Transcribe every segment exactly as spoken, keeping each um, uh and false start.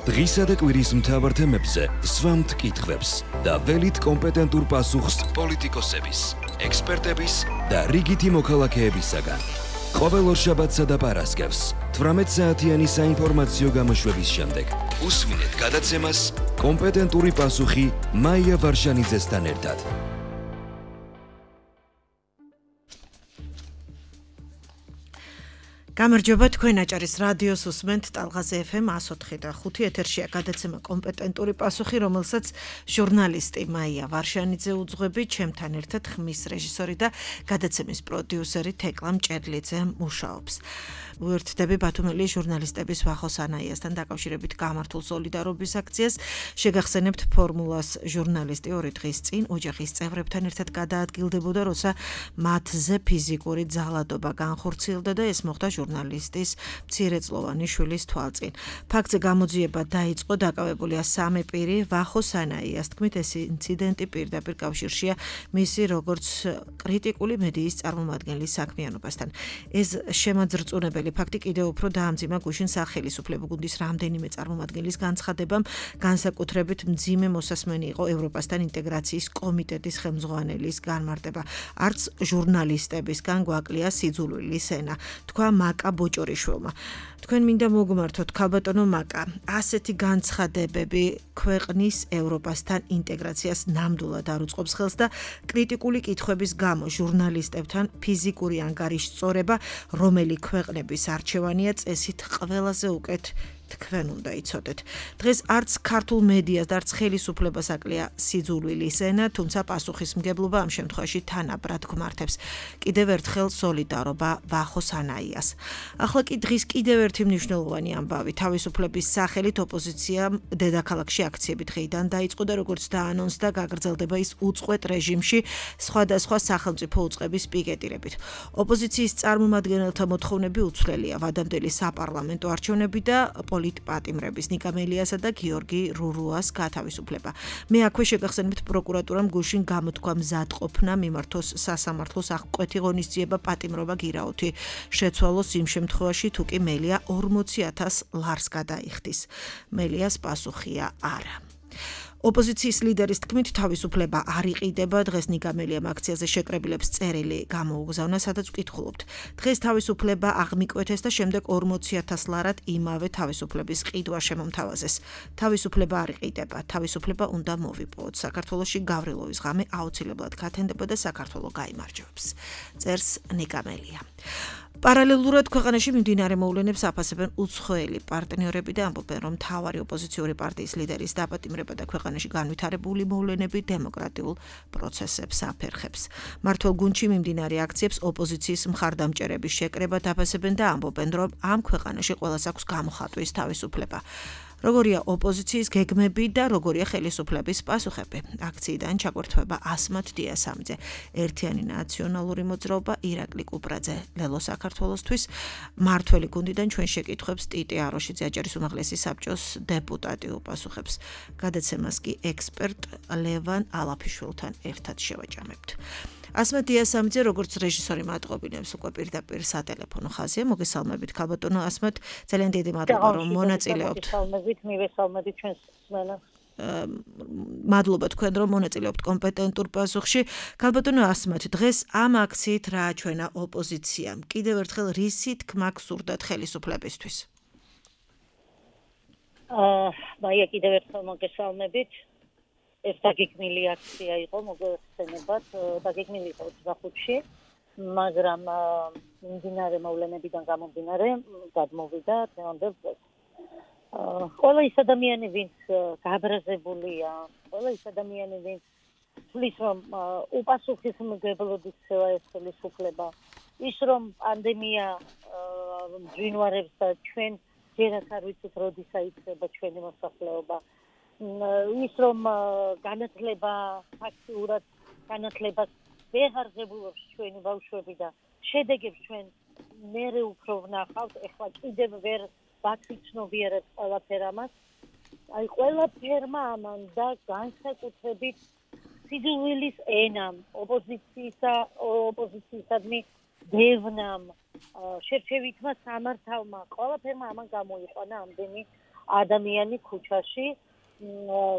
დღისა და კვირის მთავარ თემებზე სვამთ კითხვებს და ველით კომპეტენტურ პასუხს პოლიტიკოსების, ექსპერტების და რიგითი მოქალაქეებისაგან. ყოველ ორშაბათსა და პარასკევს თვრამეტ საათიანი საინფორმაციო გამოშვების შემდეგ უსვინეთ გადაცემას კომპეტენტური პასუხი მაია ვარშანიძესთან ერთად. გამარჯობა, თქვენ აჭარის რადიოს უსმენთ ტალღაზე ეფ ემ one oh four და five ეთერშია გადაცემა კომპეტენტური პასუხი, რომელსაც ჟურნალისტი მაია ვარშანიძე უძღვებით, ჩემთან ერთად ხმის რეჟისორი და გადაცემის პროდიუსერი თეკლა მჭედლიძე მუშაობს. უერთდები ბათუმელი ჟურნალისტების ვახოს ანაიასთან დაკავშირებით გამართულ სოლიდარობის აქციას. შეგახსენებთ, ფორმულას ჟურნალისტი ორი დღის წინ ოჯახის წევრებთან ერთად გადაადგილდებოდა, როცა მათზე ფიზიკური ძალადობა განხორციელდა და ეს მოხდა ჟურნალისტის მცირეწლოვანი შვილის თვალწინ. ფაქტზე გამოძიება დაიწყო, დაკავებულია სამი პირი. ვახოს ანაიას თქმით, ეს ინციდენტი პირდაპირ კავშირშია მისი როგორც კრიტიკული მედიის წარმომადგენლის საქმიანობასთან. ეს შემაძრწუნებელი ფაქტი კიდევ უფრო დაამძიმა გუშინ სახელმწიფო გუნდის რამდენიმე წარმომადგენლის განცხადებამ, განსაკუთრებით მძიმე მოსასმენი იყო ევროპასთან ინტეგრაციის კომიტეტის ხელმძღვანელის განმარტება. არც ჟურნალისტებისგან გვაკლია სიძულვილის ენა, თქვა მაკა ბოჭორიშვილმა. თქვენ მინდა მოგმართოთ, ქალბატონო მაკა, ასეთი განცხადებები ქვეყნის ევროპასთან ინტეგრაციას ნამდვილად არ უწყობს ხელს და კრიტიკული კითხვების გამო ჟურნალისტებთან ფიზიკური ანგარიშწორება, რომელი ქვეყნების არჩევანია, წესით ყველაზე უკეთ თქვენ უნდა იცოდეთ. დღეს არც ქართულ მედიას და არც ხელისუფლებას აკლია სიძულვილის ენა, თუმცა პასუხისმგებლობა ამ შემთხვევაში თანაბრად გვმართებს. კიდევ ერთხელ სოლიდარობა ვახოს ანაიას. ახლა კი დღის კიდევ ერთი მნიშვნელოვანი ამბავი. თავისუფლების სახელით ოპოზიციამ დედაქალაქში აქციები დღეიდან დაიწყო და როგორც დაანონსდა, გაგრძელდება ის უწყვეტ რეჟიმში სხვადასხვა სახელმწიფო უწყების პიკეტირებით. ოპოზიციის წარმომადგენელთა მოთხოვნები უცვლელია: ვადამდელი საპარლამენტო არჩევნები და პოლიტპატიმრების ნიკა მელიასა და გიორგი რურუას გათავისუფლება. მე აქვე შეგახსენებთ, პროკურატურამ გუშინ გამოთქვა მზადყოფნა მიმართოს სასამართლოს აღკვეთი ღონისძიება პატიმრობა გირაოთი შეცვალოს იმ შემთხვევაში, თუ კი მელია ორმოცი ათას ლარს გადაიხდის. მელიას პასუხია არა. ოპოზიციის ლიდერის თქმით, თავისუფლება არ იყიდება. დღეს ნიკა მელიამ აქციაზე შეკრებილებს წერილი გამოუგზავნა, სადაც ვკითხულობთ. დღეს თავისუფლება აღმიკვეთეს და შემდეგ ორმოცი ათას ლარად იმავე თავისუფლების ყიდვა შემომთავაზეს. თავისუფლება არ იყიდება, თავისუფლება უნდა მოვიპოვოთ. საქართველოში გავრილოვის ღამე აუცილებლად გათენდება და საქართველო გაიმარჯვებს. წერს ნიკა მელია. პარალელურად ქვეყანაში მიმდინარე მოვლენებს აფასებენ უცხოელი პარტნიორები და ამბობენ, რომ მთავარი ოპოზიციური პარტიის ლიდერის დაპატიმრება და ქვეყანაში განვითარებული მოვლენები დემოკრატიულ პროცესებს აფერხებს. მმართველ გუნდში მიმდინარე აქციებს ოპოზიციის მხარდამჭერების შეკრებად აფასებენ და ამბობენ, რომ ამ ქვეყანაში ყველას აქვს გამოხატვის თავისუფლება. როგორია ოპოზიციის გეგმები და როგორია ხელისუფლების პასუხები. აქციიდან ჩაგვერთვება ასმათ დიასამიძე, ერთიანი ნაციონალური მოძრაობა, ირაკლი კუპრაძე, ლელო საქართველოსთვის, მმართველი გუნდიდან ჩვენ შეკითხვებს ტიტი აროშიძე, აჭარის უმაღლესი საბჭოს დეპუტატი უპასუხებს. გადაცემას კი ექსპერტ ლევან ალაფიშვილთან ერთად შევაჭამებთ. ასმათ დიასამიძე, როგორც რეჟისორი მატყობინებს უკვე პირდაპირ სატელეფონო ხაზია. მოგესალმებით, ქალბატონო ასმათ, ძალიან დიდი მადლობა, რომ მონაწილეობთ. მოგესალმებით, მივესალმებით ჩვენს მსმენელს. მადლობა თქვენ, რომ მონაწილეობთ კომპეტენტურ პასუხში. ქალბატონო ასმათ, დღეს ამ აქციით რა აჩვენა ოპოზიციამ? კიდევ ერთხელ რისი თქმა გსურდათ ხელისუფლებისთვის? აა, მაია, კიდევ ერთხელ მოგესალმებით. ეს დაგეგმილი აქცია იყო, მოგესალმებათ, დაგეგმილი იყო ოცდახუთში, მაგრამ მიმდინარე მოვლენებიდან გამომდინარე გადმოვიდა დღევანდელ დღეს. ყველა ის ადამიანი, ვინც გაბრაზებულია, ყველა ის ადამიანი, ვინც თვლის, რომ უპასუხისმგებლოდ იქცევა ეს ხელისუფლება, ის რომ პანდემია მძვინვარებს და ჩვენ ჯერაც არ ვიცით, როდისა იქნება ჩვენი მოსახლეობა. ის რომ განათლება ფაქტიურად განათლებას ვეღარ ღებულობს ჩვენი ბავშვები და შედეგებს ჩვენ მერე უფრო ვნახავთ, ეხლა კიდევ ვერ ვაცნობიერებთ ყველაფერ ამას. აი ყველაფერმა ამან და განსაკუთრებით სიძულვილის ენამ, ოპოზიციისა ოპოზიციისადმი დევნამ, შერჩევითმა სამართავმა, ყველაფერმა ამან გამოიყვანა ამდენი ადამიანი ქუჩაში.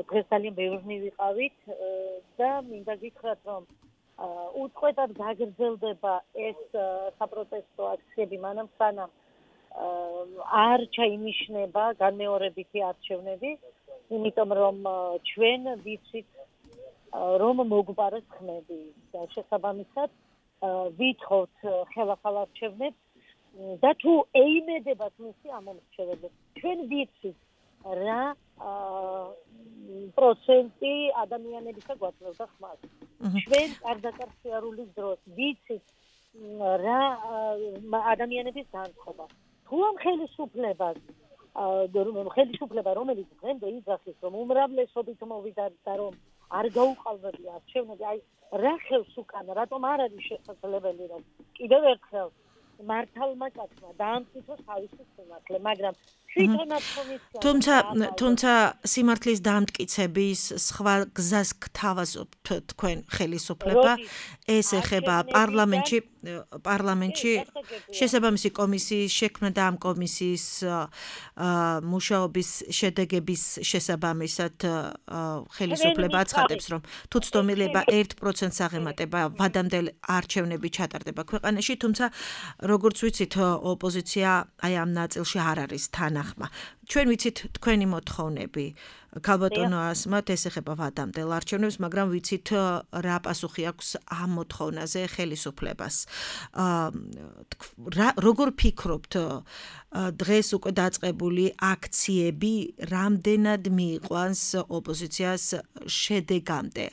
დღეს ძალიან ბევრი ვიყავით და მინდა გითხრათ, რომ უწყვეტად გაგრძელდება ეს საპროტესტო აქციები, მანამ სანამ არ ჩაინიშნება განმეორებითი არჩევნები, იმიტომ რომ ჩვენ ვიცით, რომ მოგვპარეს ხმები და შესაბამისად ვითხოვთ ხელახალ არჩევნებს და თუ ეიმედებათ მისი ამომრჩეველი. ჩვენ ვიცით რა პროცენტი ადამიანებისა გვაწევდა ხმას. ჩვენ კარგაკარ შეარულის დროს ვიცით რა ადამიანების განწყობა. თუ ამ ხელისუფლებას ხელისუფლება რომელიც დღემდე იძახის, რომ უმრავლესობით მოვიდა და რომ არ გაუყალბებია არჩევნები, აი რა ხელს უკან, რატომ არ არის შესაძლებელი, რომ კიდევ ერთხელ მართალმა კაცმა დაამტკიცოს თავისი სიმართლე, მაგრამ თვითონაც კომისია თუმცა თუმცა სიმართლის დამტკიცების სხვა გზას გთავაზობთ თქვენ ხელისუფლება, ეს ეხება პარლამენტში პარლამენტში შესაბამისი კომისიის შექმნა და ამ კომისიის მუშაობის შედეგების შესაბამისად ხელისუფლება აცხადებს, რომ თუ ცდომილება ერთ პროცენტს აღემატება ვადამდელ არჩევნები ჩატარდება ქვეყანაში, თუმცა როგორც ვიცით, ოპოზიცია აი ამ ნაწილში არ არის თანახმა. ჩვენ ვიცით თქვენი მოთხოვნები, ქალბატონო ასმათ, ეს ეხება ვადამდელ არჩევნებს, მაგრამ ვიცით რა პასუხი აქვს ამ მოთხოვნაზე ხელისუფლებას. როგორ ფიქრობთ, დღეს უკვე დაწყებული აქციები რამდენად მიიყვანს ოპოზიციას შედეგამდე?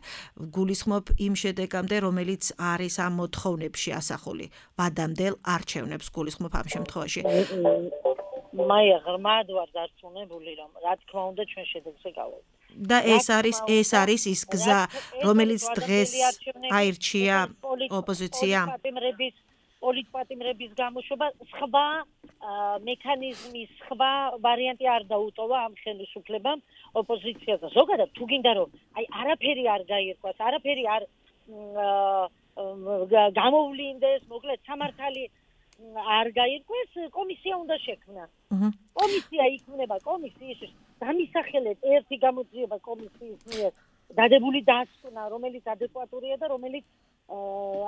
გულისხმობ იმ შედეგამდე, რომელიც არის ამ მოთხოვნებში ასახული, ვადამდელ არჩევნებს გულისხმობ ამ შემთხვევაში. მაია ღრმად ვარ დარწმუნებული, რომ რა თქმა უნდა ჩვენ შედეგზე გავავთ. და ეს არის ეს არის ის გზა, რომელიც დღეს აირჩია ოპოზიციამ. პოლიტპატიმრების გამოშვება, სხვა მექანიზმის, სხვა ვარიანტი არ დაუტოვა ამ ხელისუფლებამ ოპოზიციაზე. ზოგადად თუ გინდა რომ აი არაფერი არ გაირკვას, არაფერი არ გამოვლინდეს, მოკლედ სამართალი არ გაირკვეს, კომისია უნდა შექმნა. კომისია იქმნება, კომისიის დამისახელეთ ერთი გამოძიება კომისიის მიერ დადებული დასკვნა, რომელიც ადეკვატურია და რომელიც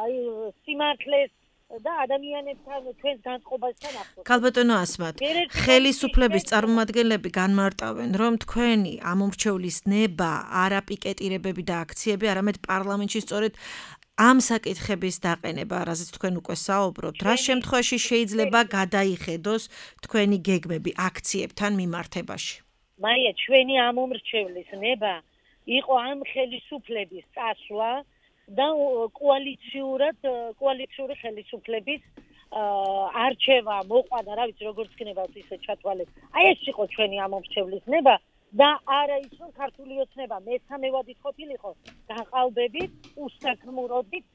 აი სიმართლეს და ადამიანებთან ჩვენს განწყობასთან ახლოს. ქალბატონო ასმათ, ხელისუფლების წარმომადგენლები განმარტავენ, რომ თქვენი ამომრჩევლის ნება, არა პიკეტირებები და აქციები, არამედ პარლამენტში სწორედ ამ საკითხების დაყენება, რაზეც თქვენ უკვე საუბრობთ, რა შემთხვევაში შეიძლება გადაიხედოს თქვენი გეგმები აქციებთან მიმართებაში? მაია, ჩვენი ამომრჩევლის ნება იყო ამ ხელისუფლების წასვლა და კოალიციურად კოალიციური ხელისუფლების არჩევა, მოყვანა, რა ვიცი, როგორც ქნებათ ისე ჩათვალეთ. აი ეს იყო ჩვენი ამომრჩევლის ნება. და არა ის რომ ქართული ოცნება მესამევადით ყოფილიყო გაყალბებით, უსაქმურობით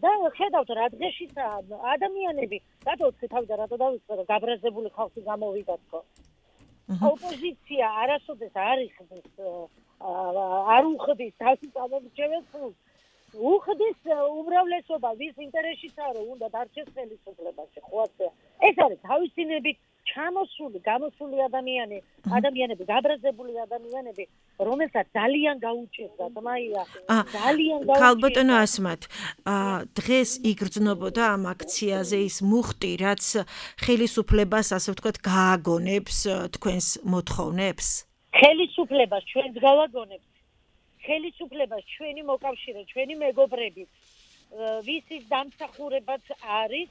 და ხედავთ რა დღეშიცაა ადამიანები, რატო თქვი და რატო დავიწყე რომ გაბრაზებული ხალხი გამოვიდა თქო. ოპოზიცია არასოდეს არ იხდის, არ უხდის თავის ამომრჩეველს, უხდის უმრავლესობა, ვის ინტერესშიცაა რომ უნდა დარჩეს ხელისუფლებაში, ხო ასეა. ეს არის თავისინებით ჩამოსული, გამოსული ადამიანი, ადამიანები, გაბრაზებული ადამიანები, რომელსაც ძალიან გაუჭირდათ, მაია, ძალიან გაუჭირდათ. ქალბატონო ასმათ, დღეს იგრძნობოდა ამ აქციაზე ის მუხტი, რაც ხელისუფლებას, ასე ვთქვათ, გააგონებს თქვენს მოთხოვნებს? ხელისუფლებას ჩვენს გავაგონებს. ხელისუფლებას ჩვენი მოკავშირე, ჩვენი მეგობრები, ვისის დამსახურებაც არის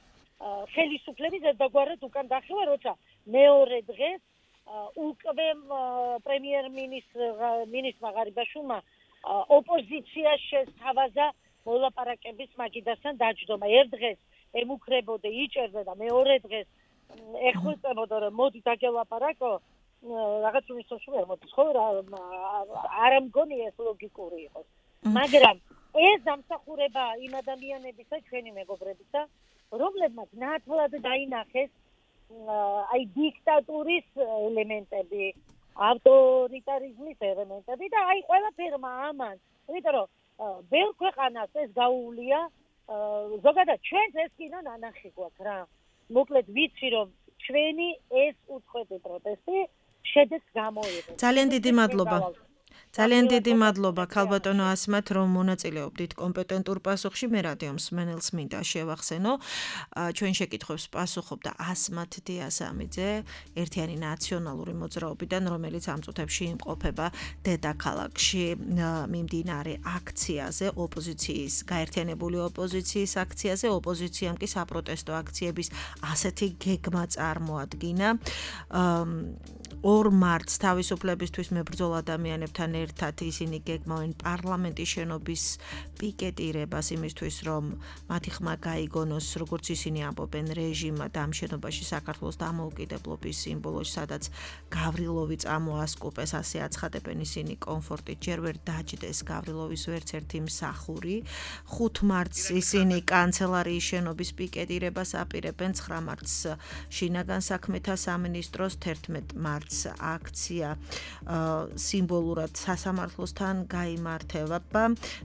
ხელისუფლების ერთგვარად უკან დახევა, როცა მეორე დღეს უკვე პრემიერ-მინისტრმა ღარიბაშვილმა ოპოზიციას შესთავაზა მოლაპარაკების მაგიდასთან დაჯდომა. ერთ დღეს ემუქრებოდა, იჭერდა და მეორე დღეს ეხუწებოდა, რომ მოდი დაგელაპარაკო, რაღაც უმისოშვი არ მოდის, ხო, არ ამგონია ეს ლოგიკური იყოს. მაგრამ ეს დამსახურება იმ ადამიანებისა, ჩვენი მეგობრებისა, რომლებმაც ნათლად დაინახეს აი დიქტატურის ელემენტები, ავტორიტარიზმის ელემენტები და აი ყველაფერმა ამან, იმიტომ რომ ბევრ ქვეყანას ეს გაუვლია, ზოგადად ჩვენს ეს კიდე ნანახი გვაქვს რა. მოკლედ ვიცი რომ ჩვენი ეს უწყვეტი პროტესტი შედეგს გამოიღო. ძალიან დიდი მადლობა. ძალიან დიდი მადლობა ქალბატონო ასმათ, რომ მონაწილეობდით კომპეტენტურ პასუხში. მე რადიო მსმენელს მინდა შევახსენო, ჩვენ შეკითხვებს პასუხობდა ასმათ დიასამიძე, ერთიანი ნაციონალური მოძრაობიდან, რომელიც ამ წუთებში იმყოფება დედაქალაქში მიმდინარე აქციაზე, ოპოზიციის, გაერთიანებული ოპოზიციის აქციაზე, ოპოზიციამ კი საპროტესტო აქციების ასეთი გეგმა წარმოადგინა. ორ მარტს თავისუფლებისთვის მებრძოლ ადამიანებთან ერთად ისინი გეგმავენ პარლამენტის შენობის პიკეტირებას იმისთვის, რომ მათი ხმა გაიგონოს, როგორც ისინი ამბობენ, რეჟიმად ამ შენობაში საქართველოს დამოუკიდებლობის სიმბოლოში, სადაც გავრილოვი წამოასკუპეს, ასე აცხადებენ ისინი კომფორტით, ჯერ ვერ დაჯდეს გავრილოვის ვერც ერთი მსახური. ხუთ მარტს ისინი კანცელარიის შენობის პიკეტირებას აპირებენ, ცხრა მარტს შინაგან საქმეთა სამინისტროს, თერთმეტ მარტს აქცია სიმბოლურად სასამართლოსთან გაიმართება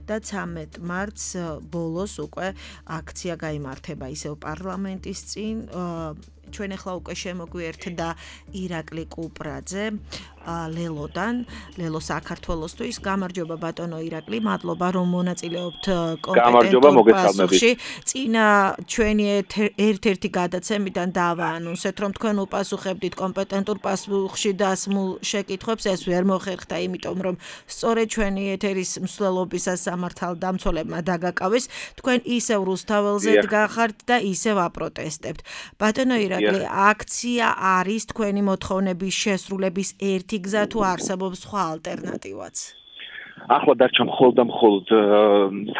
და ცამეტ მარტს ბოლოს უკვე აქცია გაიმართება ისევ პარლამენტის წინ. ჩვენ ახლა უკვე შემოგვიერთდა ირაკლი კუპრაძე ლელოდან, ლელო საქართველოსთვის. გამარჯობა ბატონო ირაკლი, მადლობა რომ მონაწილეობთ კომპეტენტურ პასუხში. წინა ჩვენი ერთ-ერთი გადაცემიდან დავაანონსეთ, რომ თქვენ უპასუხებდით კომპეტენტურ პასუხში დასმულ შეკითხვებს, ეს ვერ მოხერხდა, იმიტომ რომ სწორედ ჩვენი ეთერის მსვლელობისას სამართალდამცველებმა დაგაკავეს. თქვენ ისევ რუსთაველზე დგახართ და ისევ აპროტესტებთ. ბატონო ირაკლი, აქცია არის თქვენი მოთხოვნების შესრულების ერთი გზა თუ არსებობს სხვა ალტერნატივაც? ახლა დარჩა მხოლოდ და მხოლოდ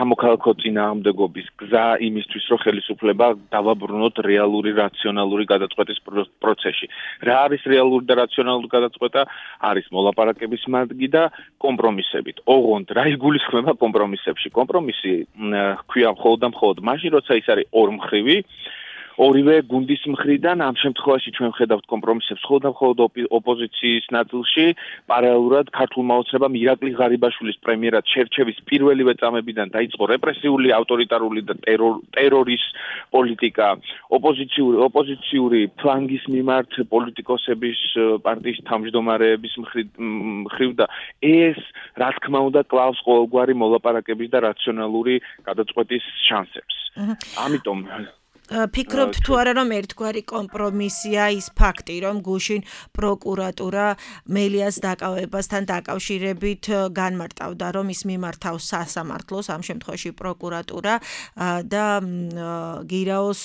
სამოქალაქო წინააღმდეგობის გზა იმისთვის, რომ ხელისუფლება დავაბრუნოთ რეალური რაციონალური გადაწყვეტის პროცესში. რა არის რეალური და რაციონალური გადაწყვეტა? არის მოლაპარაკების მადგი და კომპრომისებით. ოღონდ რა იგულისხმება კომპრომისებში? კომპრომისი ქვია მხოლოდ და მხოლოდ მაშინ, როცა ის არის ორმხრივი, ორივე გუნდის მხრიდან. ამ შემთხვევაში ჩვენ ვხედავთ კომპრომისებს მხოლოდ და მხოლოდ ოპოზიციის ნაწილში. პარალელურად ქართულმა ოცნებამ ირაკლი ღარიბაშვილის პრემიერად შერჩევის პირველივე წამებიდან დაიწყო რეპრესიული, ავტორიტარული და ტერორის პოლიტიკა. ოპოზიციური ოპოზიციური ფლანგის მიმართ პოლიტიკოსების პარტიის თავმჯდომარეების მხრივ და ეს რა თქმა უნდა კლავს ყოველგვარი მოლაპარაკების და რაციონალური გადაწყვეტის შანსებს. ამიტომ ფიქრობთ თუ არა რომ ერთგვარი კომპრომისია ის ფაქტი, რომ გუშინ პროკურატურა მელიას დაკავებასთან დაკავშირებით განმარტავდა, რომ ის მიმართავს სასამართლოს, ამ შემთხვევაში პროკურატურა და გირაოს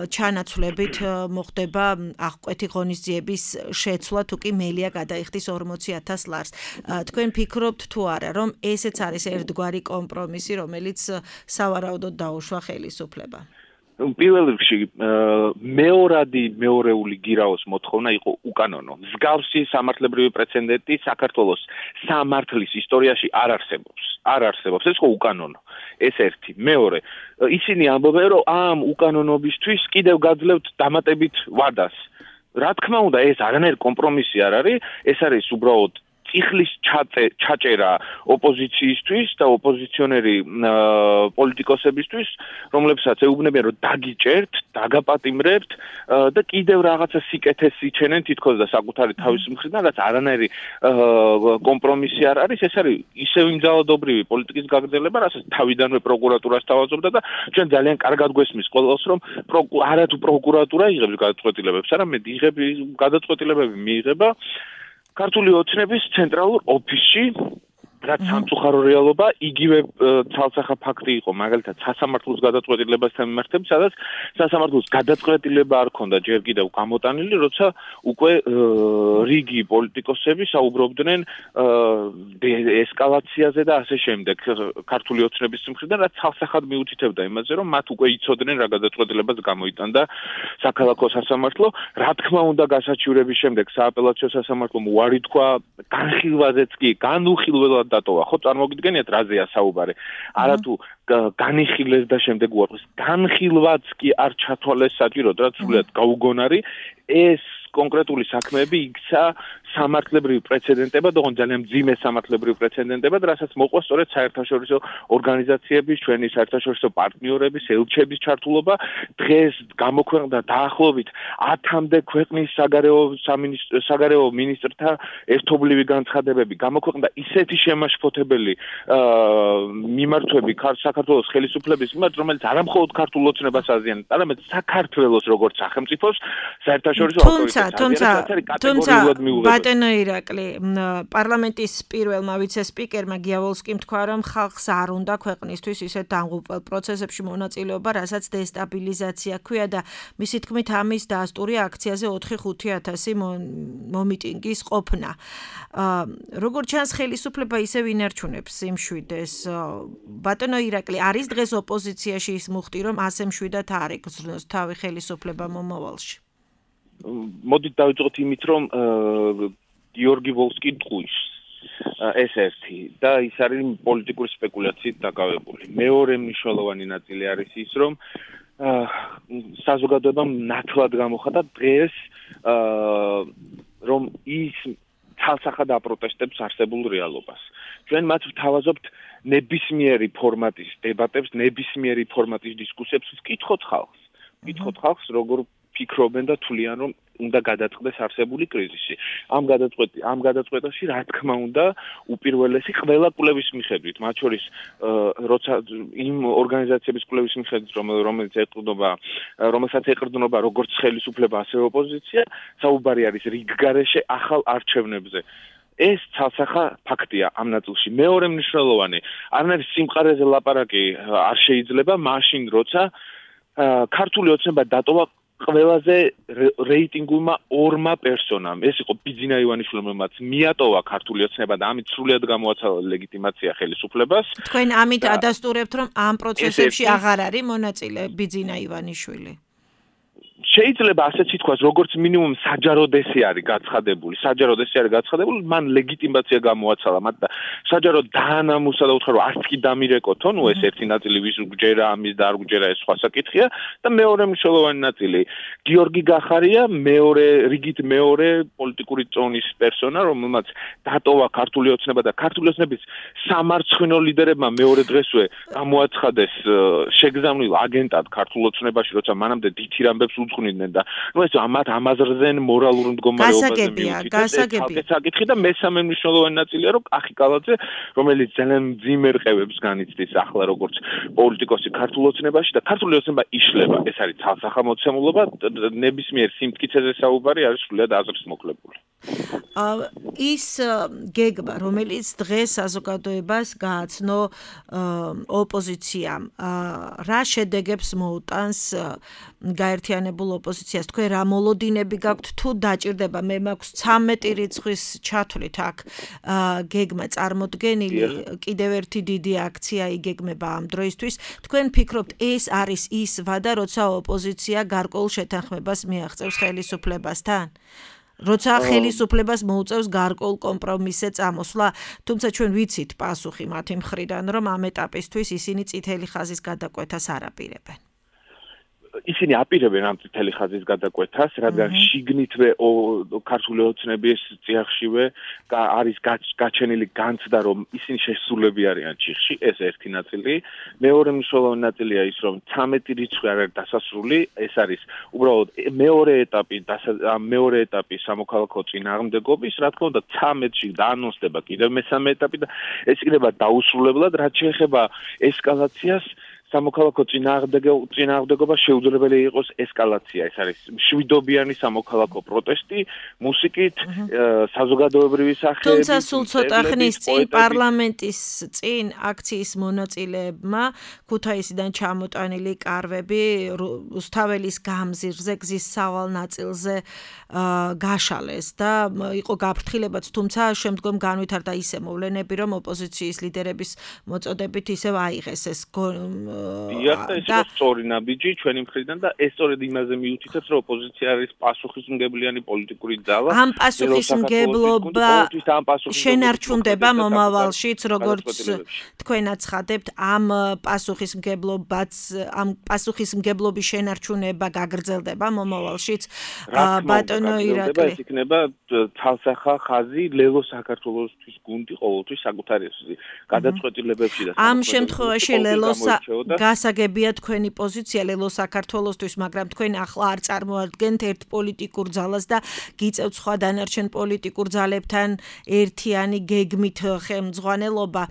ჩანაცვლებით მოხდება აღკვეთი ღონისძიების შეცვლა, თუ კი მელია გადაიხდის ორმოცი ათას ლარს. თქვენ ფიქრობთ თუ არა, რომ ესეც არის ერთგვარი კომპრომისი, რომელიც სავარაუდოდ დაუშვა ხელისუფლება? პირველ რიგში მეორადი მეორეული გირაოს მოთხოვნა იყო უკანონო. მსგავსი სამართლებრივი პრეცედენტი საქართველოს სამართლის ისტორიაში არ არსებობს. არ არსებობს. ეს ხო უკანონო. ეს ერთი. მეორე, ისინი ამბობენ, რომ ამ უკანონობისთვის კიდევ გაძლევთ დამატებით ვადას. რა თქმა უნდა, ეს არანაირ კომპრომისი არ არის, ეს არის უბრალოდ წიხლის ჩაჭერა ოპოზიციისთვის და ოპოზიციონერი პოლიტიკოსებისთვის, რომლებსაც ეუბნებიან, რომ დაგიჭერთ, დაგაპატიმრებთ და კიდევ რაღაცა სიკეთეს იჩენენ თითქოს და საკუთარი თავის მხრიდან, რაც არანაირი კომპრომისი არ არის, ეს არის ისევ იმ ძალადობრივი პოლიტიკის გაგრძელება, რასაც თავიდანვე პროკურატურას თავაზობდა და ჩვენ ძალიან კარგად გვესმის ყველას, რომ არათუ პროკურატურა იღებს გადაწყვეტილებებს, არამედ იღებს გადაწყვეტილებები მიიღება ქართული ოცნების ცენტრალურ ოფისში, რაც სამწუხარო რეალობა, იგივე ცალსახა ფაქტი იყო, მაგალითად, სასამართლოს გადაწყვეტილებასთან მიმართებით, სადაც სასამართლოს გადაწყვეტილება არ ქონდა ჯერ კიდევ გამოტანილი, როცა უკვე რიგი პოლიტიკოსები საუბრობდნენ ესკალაციაზე და ასე შემდეგ ქართული ოცნების მხრიდან, რაც ცალსახად მიუთითებდა იმაზე, რომ მათ უკვე იცოდნენ რა გადაწყვეტილებას გამოიტანდა საქალაქო სასამართლო. რა თქმა უნდა, გასაჩივრების შემდეგ სააპელაციო სასამართლომ უარი თქვა, განხილვაზეც კი, განუხილველად დატოვა. ხო, წარმოგიდგენიათ რაზეა საუბარი. არათუ განიხილეს და შემდეგ უარყეს. განხილვაც კი არ ჩათვალეს საჭიროდ, რაც სულად გაუგონარი. ეს კონკრეტული საქმეები იქცა სამართლებრივი პრეცედენტებად, ოღონდ ძალიან მძიმე სამართლებრივი პრეცედენტებად, რასაც მოყვა სწორედ საერთაშორისო ორგანიზაციების, ჩვენი საერთაშორისო პარტნიორების, ელჩების ჩართულობა. დღეს გამოქვეყნდა დაახლოებით ათამდე ქვეყნის საგარეო სამინისტრო საგარეო მინისტრთა ერთობლივი განცხადებები. გამოქვეყნდა ისეთი შემაშფოთებელი მიმართვები საქართველოს ხელისუფლების მიმართ, რომელიც არამხოლოდ ქართულ ოცნებას აზიანებს, არამედ საქართველოს როგორც სახელმწიფოს საერთაშორისო ავტორიტეტს აზიანებს. თუმცა ბატონო ირაკლი, პარლამენტის პირველმა ვიცე-სპიკერმა გიავოლსკიმ თქვა, რომ ხალხს არ უნდა ქვეყნისთვის ისეთ დამღუპველ პროცესებში მონაწილეობა, რასაც დესტაბილიზაცია ქვია და მისი თქმით ამის დასტური აქციაზე ოთხი ხუთი ათასი მომიტინგის ყოფნა. როგორც ჩანს, ხელისუფლება ისევ ინარჩუნებს იმ მშვიდეს. ბატონო ირაკლი, არის დღეს ოპოზიციაში ის მუხტი, რომ ასე მშვიდად არ ეკრძნოს თავი ხელისუფლება მომავალში? მოდით დავიწყოთ იმით, რომ გიორგი ვოლსკი ტყუის ეს ერთი და ის არის პოლიტიკური სპეკულაციით დაკავებული. მეორე მნიშვნელოვანი ნაწილი არის ის, რომ საზოგადოებამ ნათლად გამოხატა დღეს, რომ ის ცალსახად აპროტესტებს არსებულ რეალობას. ჩვენ მათ ვთავაზობთ ნებისმიერი ფორმატის დებატებს, ნებისმიერი ფორმატის დისკუსიებს ვკითხოთ ხალხს. ვკითხოთ ხალხს, როგორ ფიქრობენ და თვლიან, რომ უნდა გადაწყდეს არსებული კრიზისი. ამ გადაწყვეტი, ამ გადაწყვეტაში, რა თქმა უნდა, უპირველესი ყველა კვლევის მიხედვით, მათ შორის როცა იმ ორგანიზაციების კვლევის მიხედვით, რომელიც ეყრდნობა, რომელსაც ეყრდნობა როგორც ხელისუფლება, ასევე ოპოზიცია, საუბარი არის რიგგარეშე ახალ არჩევნებზე. ეს ცალსახა ფაქტია ამ ნაწილში. მეორე მნიშვნელოვანი, არანაირი სიმყარეზე ლაპარაკი არ შეიძლება მაშინ, როცა ქართული ოცნება დატოვა ყველაზე რეიტინგულმა ორმა პერსონამ. ეს იყო ბიძინა ივანიშვილი, რომელმაც მიატოვა ქართული ოცნება და ამით სრულად გამოაცალა ლეგიტიმაცია ხელისუფლებას. თქვენ ამით ადასტურებთ, რომ ამ პროცესებში აღარ არის მონაწილე ბიძინა ივანიშვილი? შეიძლება ასეც ითქვას, როგორც მინიმუმ საჯაროდ ესე არის გაცხადებული. საჯაროდ ესე არის გაცხადებული, მან ლეგიტიმაცია გამოაცალა, მაგრამ საჯაროდ დაანამუსა და უთხრა, რომ არც კი დამირეკოთო, ნუ ეს ერთი ნაწილი ვის გჯერა, ამის და არ გჯერა, ეს სხვა საკითხია და მეორე მნიშვნელოვანი ნაწილი გიორგი გახარია, მეორე რიგით მეორე პოლიტიკური წონის პერსონა, რომელმაც დატოვა ქართული ოცნება და ქართული ოცნების სამარცხვინო ლიდერებმა მეორე დღესვე გამოაცხადეს შეგზავნილ აგენტად ქართულ ოცნებაში, როცა მანამდე დიდ ამბებს უძღვნიდნენ და ნუ ეს ამათ ამაზრდნენ მორალურ მდგომარეობაზე მიუთითებს. გასაგებია, საკითხი და მესამე მნიშვნელოვანი ნაწილია, რომ კახი კალაძე, რომელიც ძალიან მძიმე რყევებს განიცდის ახლა როგორც პოლიტიკოსი ქართულ ოცნებაში და ქართული ოცნება იშლება. ეს არის ცალსახა მოცემულობა, ნებისმიერ სიმტკიცეზე საუბარი არის სრულიად აზრის მოკლებული. ის გეგმა, რომელიც დღეს საზოგადოებას გააცნო ოპოზიციამ, რა შედეგებს მოუტანს გაერთიანებულ ოპოზიციას? თქვენ რა მოლოდინები გაქვთ, თუ დაჭირდება? მე მაქვს ცამეტი რიცხვის ჩათვლით აქ გეგმა წარმოდგენილი, კიდევ ერთი დიდი აქცია იგეგმება ამ დროისთვის. თქვენ ფიქრობთ, ეს არის ის ვადა, როცა ოპოზიცია გარკვეულ შეთანხმებას მიაღწევს ხელისუფლებასთან? როცა ხელისუფლებას მოუწევს გარკვეულ კომპრომისზე წამოსვლა, თუმცა ჩვენ ვიცით პასუხი მათი მხრიდან, რომ ამ ეტაპისთვის ისინი წითელი ხაზის გადაკვეთას არ აპირებენ. ისინი აპირებენ ამ წითელი ხაზის გადაკვეთას, რადგან შიგნითვე ქართული ოცნების წიაღშივე არის გაჩენილი განცდა, რომ ისინი შესრულები არიან ჩიხში, ეს ერთი ნაწილი. მეორე მნიშვნელოვანი ნაწილია ის, რომ ცამეტი რიცხვი არ არის დასასრული, ეს არის უბრალოდ მეორე ეტაპი, მეორე ეტაპი სამოქალაქო წინააღმდეგობის, რა თქმა უნდა, ცამეტში დაანონსდება კიდევ მესამე ეტაპი და ეს იქნება დაუსრულებლად, რაც შეეხება ესკალაციას. სამოქალაქო წინააღმდეგობა შეუძლებელი იყოს ესკალაცია. ეს არის მშვიდობიანი სამოქალაქო პროტესტი, მუსიკით, საზოგადოებრივი სახეებით. თუმცა სულ ცოტა ხნის წინ პარლამენტის წინ აქციის მონაწილეებმა ქუთაისიდან ჩამოტანილი კარვები რუსთაველის გამზირზე გზის სავალ ნაწილზე გაშალეს და იყო გაფრთხილებაც, თუმცა შემდგომ განვითარდა ისე მოვლენები, რომ ოპოზიციის ლიდერების მოწოდებით ისევ აიღეს ეს დიახ და ეს იყო სწორი ნაბიჯი ჩვენი მხრიდან და ეს სწორედ იმაზე მიუთითებს რომ ოპოზიცია არის პასუხისმგებლიანი პოლიტიკური ძალა ამ პასუხისმგებლობა შენარჩუნდება მომავალშიც როგორც თქვენ აცხადებთ ამ პასუხისმგებლობაც ამ პასუხისმგებლობის შენარჩუნება გაგრძელდება მომავალშიც ბატონო ირაკლი ეს იქნება თალსახა ხაზი ლელო საქართველოსთვის გუნდი ყოველთვის საკუთარი გადაწყვეტილებებში და ამ შემთხვევაში ლელოს გასაგებია თქვენი პოზიცია ლელო საქართველოსთვის მაგრამ თქვენ ახლა არ წარმოადგენთ ერთ პოლიტიკურ ძალას და გიწევთ სხვა დანარჩენ პოლიტიკურ ძალებთან ერთიანი გეგმით ხელმძღვანელობა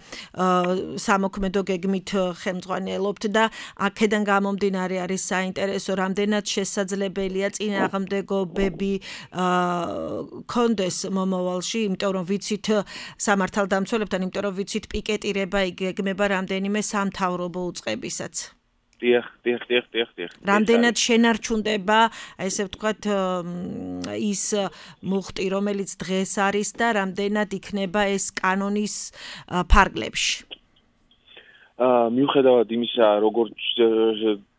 სამოქმედო გეგმით ხელმძღვანელობთ და აქედან გამომდინარე არის საინტერესო რამდენად შესაძლებელია წინააღმდეგობები კონდეს მომავალში იმიტომ რომ ვიცით სამართალდამცველებთან იმიტომ რომ ვიცით პიკეტირება იგეგმება რამდენიმე სამთავრობო უწყებისაც დიახ, დიახ, დიახ, დიახ, დიახ. რამდენად შენარჩუნდება, ესე ვთქვათ, ის მუხტი, რომელიც დღეს არის და რამდენად იქნება ეს კანონის ფარგლებში. აა მიუხედავად იმისა, როგორც